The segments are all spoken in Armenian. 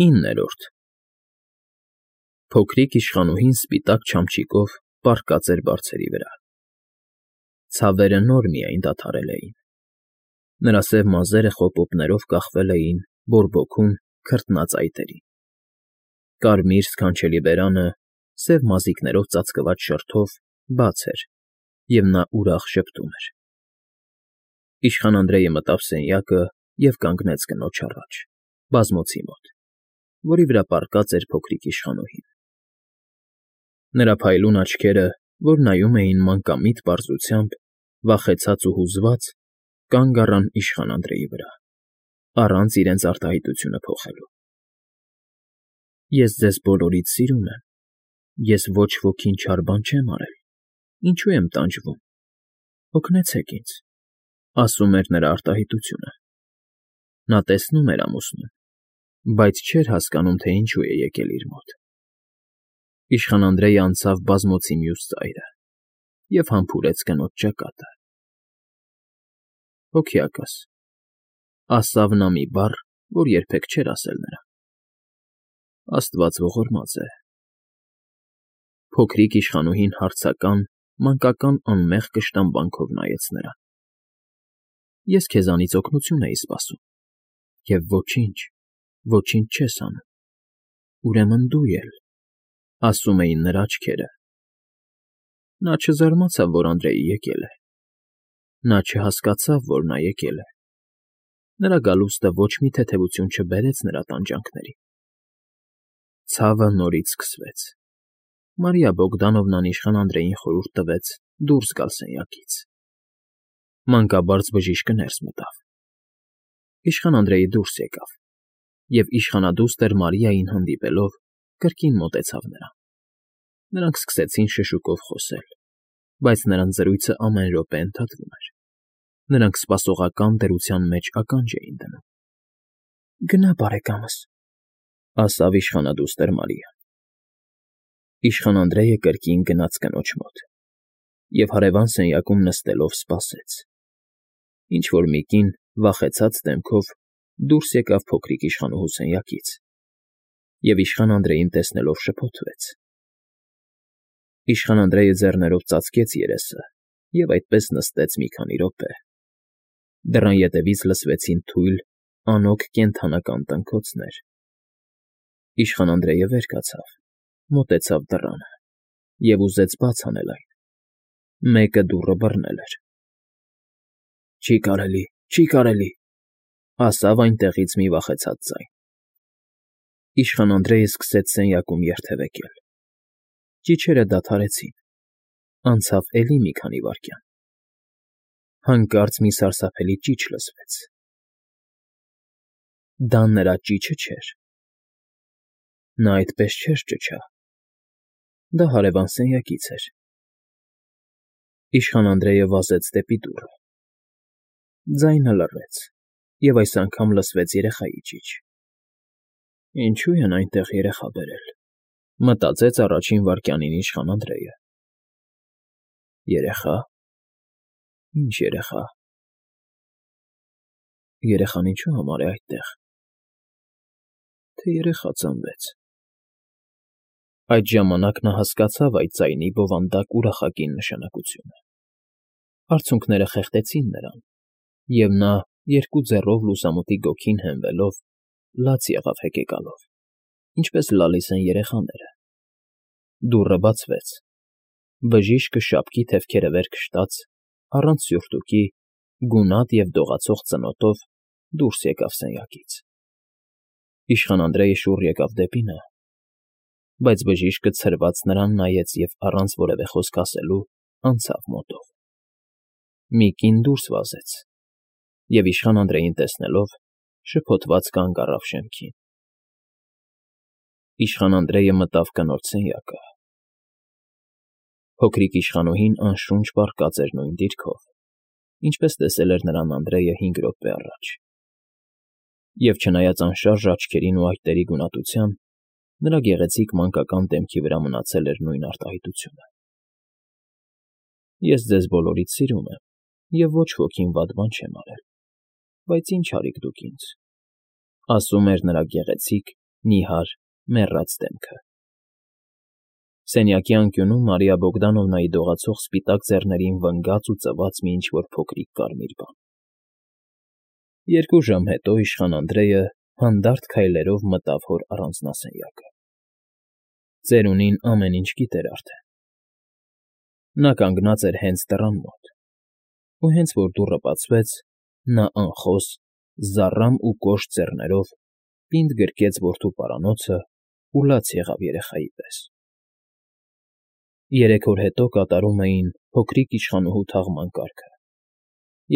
9-րդ Փոքրիկ իշխանուհին սպիտակ չամչիկով պառկած էր բարձերի վրա. ցավերը նոր միայն դադարել էին, նրա սև մազերը խոպոպներով կախվել էին բորբոքուն, քրտնած այտերին, կարմիր սքանչելի բերանը, սև մազիկներով ծածկված շրթով, բաց էր, և նա ուրախ ժպտում էր։ Իշխան Անդրեյը մտավ սենյակը և կանգնեց կնոջ առաջ, բազմոցի մոտ, որի վրա պառկած էր փոքրիկ իշխանուհին։ Նրա փայլուն աչքերը, որ նայում էին մանկամիտ պարզությամբ, վախեցած ու հուզված, կանգ առան իշխան Անդրեյի վրա, առանց իրենց արտահայտությունը փոխելու։ Ես ձեզ բոլորիդ սիրում եմ, ես ոչ ոքին չար բան չեմ արել, ինչու եմ տանջվում, օգնեցեք ինձ, ասում էր նրա արտահայտությունը։ Նա տեսնում էր ամուսնուն, բայց չէր հասկանում, թե ինչու է եկել իր մոտ։ Իշխան Անդրեյը անցավ բազմոցի մյուս ծայրը և համբուրեց կնոջ ճակատը։ Հոգեակաս, ասավ նա մի բառ, որ երբեք չէր ասել նրան։ Աստված ողորմած է։ Փոքրիկ իշխանուհին հարցական, մանկական անմեղ կշտամբանքով նայեց նրան։ Ես քեզանից օգնություն էի սպասում, և ոչինչ չես անում, ուրեմն դու էլ, ասում էին նրա աչքերը։ Նա չզարմացավ, որ Անդրեյը եկել է։ Նա չհասկացավ, որ նա եկել է։ Նրա գալուստը ոչ մի թեթևություն չբերեց նրա տանջանքներին։ Ցավը նորից սկսվեց։ Մարիա Բոգդանովնան իշխան Անդրեյին խորհուրդ տվեց դուրս գալ սենյակից։ Մանկաբարձ բժիշկը ներս մտավ։ Իշխան Անդրեյը դուրս եկավ և իշխանադուստր Մարիային հանդիպելով կրկին մոտեցավ նրան։ Նրանք սկսեցին շշուկով խոսել, բայց նրանց զրույցը ամեն րոպե ընդհատվում էր։ Նրանք սպասողական դրության մեջ ականջ էին դնում։ Գնա, բարեկամս, ասավ իշխանադուստր Մարիան։ Իշխան Անդրեյը կրկին գնաց կնոջ մոտ և հարևան սենյակում նստելով սպասեց։ Ինչ֊որ մի կին վախեցած դեմքով դուրս եկավ փոքրիկ իշխանուհու սենյակից և իշխան Անդրեյին տեսնելով շփոթվեց։ Իշխան Անդրեյը ձեռներով ծածկեց երեսը և այդպես նստեց մի քանի րոպե։ Դռան ետևից լսվեցին թույլ, անօգ կենդանական տնքոցներ։ Իշխան Անդրեյը վեր կացավ, մոտեցավ դռանը և ուզեց բաց անել այն։ Մեկը դուռը բռնել էր։ Չի կարելի, ասավ այնտեղից մի վախեցած ձայն։ Իշխան Անդրեյը սկսեց սենյակում երթևեկել։ Ճիչերը դադարեցին, անցավ էլի մի քանի վայրկյան։ Հանկարծ մի սարսափելի ճիչ լսվեց։ Դա նրա ճիչը չէր։ Նա այդպես չէր ճչա։ Դա հարևան սենյակից էր։ Իշխան Անդրեյը վազեց դեպի դուռը։ Ձայնը լռեց, և այս անգամ լսվեց երեխայի ճիչ։ Ինչո՞ւ են այնտեղ երեխա բերել, մտածեց առաջին վայրկյանին իշխան Անդրեյը։ Երեխա։ Ինչ երեխա։ Երեխան ինչու համար է այդտեղ։ Թե երեխա ծնվեց։ Այդ ժամանակ նա հասկացավ այդ ձայնի բովանդակ ուրախակին նշանակությունը։ Արցունքները խեղդեցին նրան, և նա, երկու ձեռով լուսամուտի գոգին հենվելով, լաց եղավ հեկեկալով, ինչպես լալիս են երեխաները։ Դուռը բացվեց։ Բժիշկը շապքի թևքերը վեր քշտաց, առանց սյուրտուկի, գունատ և դողացող ծնոտով դուրս եկավ սենյակից։ Իշխան Անդրեյը շուռ եկավ դեպի նա, բայց բժիշկը ցրված նրան նայեց և առանց որևէ խոսք ասելու անցավ մոտով։ Մի կին դուրս վազեց և իշխան Անդրեյին տեսնելով շփոթված կանգ առավ շեմքին։ Իշխան Անդրեյը մտավ կնոջ սենյակը։ Փոքրիկ իշխանուհին անշունչ պառկած էր նույն դիրքով, ինչպես տեսել էր նրան Անդրեյը 5 րոպե առաջ։ Եվ չնայած անշարժ աչքերին ու այտերի գունատության, նրա գեղեցիկ մանկական դեմքի վրա մնացել էր նույն արտահայտությունը։ Ես ձեզ բոլորիդ սիրում եմ և ոչ ոքին վատ բան չեմ արել, բայց ինչ արիք դուք ինձ, ասում էր նրա գեղեցիկ, նիհար, մեռած դեմքը։ Սենյակի անկյունում Մարիա Բոգդանովնայի դողացող սպիտակ ձեռներին վնգաց ու ծվաց մի ինչ֊որ փոքրիկ կարմիր բան։ 2 ժամ հետո իշխան Անդրեյը հանդարտ քայլերով մտավ հոր առանձնասենյակը։ Ծերունին ամեն ինչ գիտեր արդեն։ Նա կանգնած էր հենց դռան մոտ, ու հենց որ դուռը բացվեց, նա անխոս, զառամ ու կոշտ ձեռներով պինդ գրկեց որդու պարանոցն ու լաց եղավ երեխայի պես։ 3 օր հետո կատարում էին փոքրիկ իշխանուհու թաղման կարգը,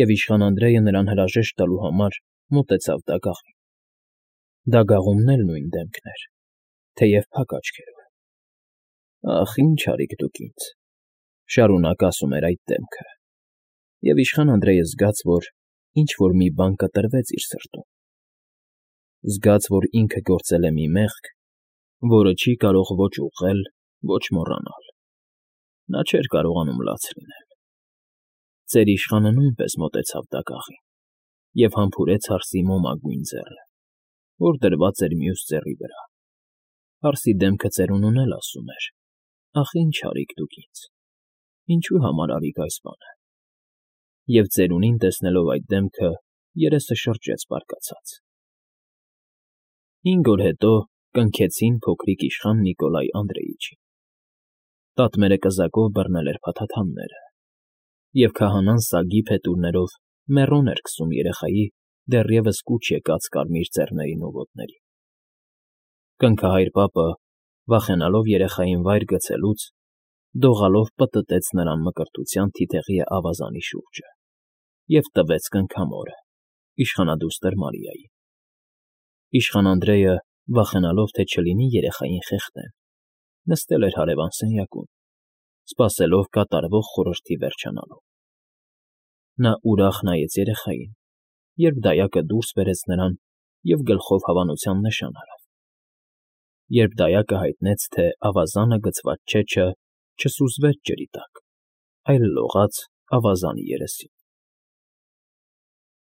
և իշխան Անդրեյը նրան հրաժեշտ տալու համար մոտեցավ դագաղին։ Դագաղումն էլ նույն դեմքն էր, թեև փակ աչքերով։ «Ախ, ինչ արիք դուք ինձ», շարունակ ասում էր այդ դեմքը, և իշխան Անդրեյը զգաց, որ ինչ֊որ մի բան կտրվեց իր սրտում, զգաց, որ ինքը գործել է մի մեղք, որը չի կարող ոչ ուղղել, ոչ մոռանալ։ Նա չէր կարողանում լաց լինել։ Ծեր իշխանը նույնպես մոտեցավ դագաղին և համբուրեց հարսի մոմագույն ձեռը, որ դրված էր մյուս ձեռի վրա։ Հարսի դեմքը ծերունուն էլ ասում էր. «Ախ, ինչ արիք դուք ինձ, ինչու համար արիք այս բանը»։ Եվ ծերունին, տեսնելով այդ դեմքը, երեսը շրջեց բարկացած։ 5 օր հետո կնքեցին փոքրիկ իշխան Նիկոլայ Անդրեիչին։ Տատմերը կզակով բռնել էր փաթաթանները, և քահանան սագի փետուրներով մեռոն էր քսում երեխայի դեռևս կուչ եկած կարմիր ծեռներին ու ոտներին։ Կնքահայր պապը, վախենալով երեխային վայր գցելուց, դողալով պտտեց նրան մկրտության թիթեղի ավազանի շուրջը և տվեց կնքամորը, իշխանադուստր Մարիային։ Իշխան Անդրեյը, վախենալով, թե չլինի երեխային խեղդեն, նստել էր հարևան սենյակում, սպասելով կատարվող խորհրդի վերջանալուն։ Նա ուրախ նայեց երեխային, երբ դայակը դուրս բերեց նրան և գլխով հավանության նշան արավ, երբ դայակը հայտնեց, թե ավազանը գցված չեչը չսուզվեց ջրի տակ, այլ լողաց ավազանի երեսին։